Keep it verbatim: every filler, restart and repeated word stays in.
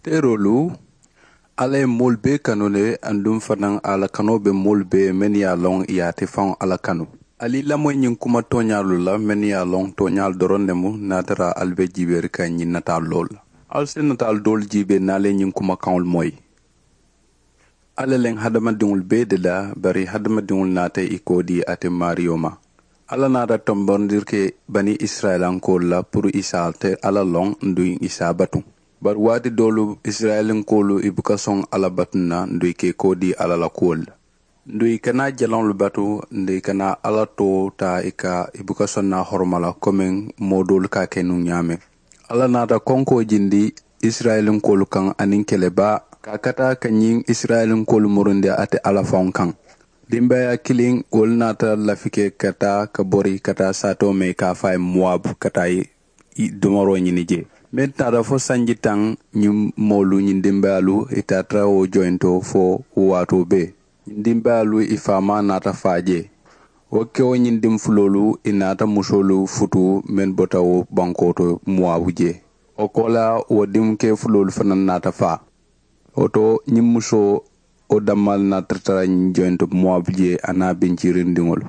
Seeroolu, alla ye moolu bee kanu le. Aduŋ fanaa a la kanoo be moolu bee mennu ye a loŋ ì ye ate faŋo alla kanu. Ali i lamoyi ñiŋ kuma tooñaalu la mennu ye a loŋ tooñaalu doroŋ ne mu. Niŋ a tara ali be jiibeeri kaŋ ñiŋ nataalu loolu la, ali si nataalu doolu jiibee niŋ ali ye ñiŋ kumakaŋolu moyi. Alla le ŋ hadamadiŋolu bee de la, bari hadamadiŋolu naata ì koodii ate maariyo ma. Alla naata tombondiri ke bani isirayilankoolu la puru ì si a te alla loŋ, nduŋ ì si a batu. Bari waati doolu isirayilankoolu ì buka soŋ alla batu na nduŋ ì ka ì koodii alla la kuwolu la. Nduŋ ì kana jalaŋolu batu, nduŋ ì kana alla too taa ì ka ì buka soŋ na a horoma la komiŋ moo doolu ka a ke nuŋ ñaameŋ. Alla naata konkoo jindi isirayilankoolu kaŋ aniŋ kele baa ka a kata ka ñiŋ isirayilankoolu murundi ate alla faŋo kaŋ. Dimbaaya kiliŋ wolu naata lafi ke ka taa ka bori ka taa saatoo mee ka a faa ye muwabu ka taa ì domoroo ñini jee. Meŋ taata fo sanji taŋ, ñiŋ moolu ñiŋ dimbayaalu ì taata wo joyintoo fo wo waatoo bee. Ñiŋ dimbayaalu ì faamaa naata faa jee. Wo kewo ñiŋ diŋ fuloolu ì naata musoolu futu meŋ bota wo bankoo to muwabu jee. Wo koolaa wo diŋ ke fuloolu fanaa naata faa. Wo to ñiŋ musoo wo dammaa le naata tara ñiŋ joyinto muwabu jee a niŋ a binjiirindiŋolu.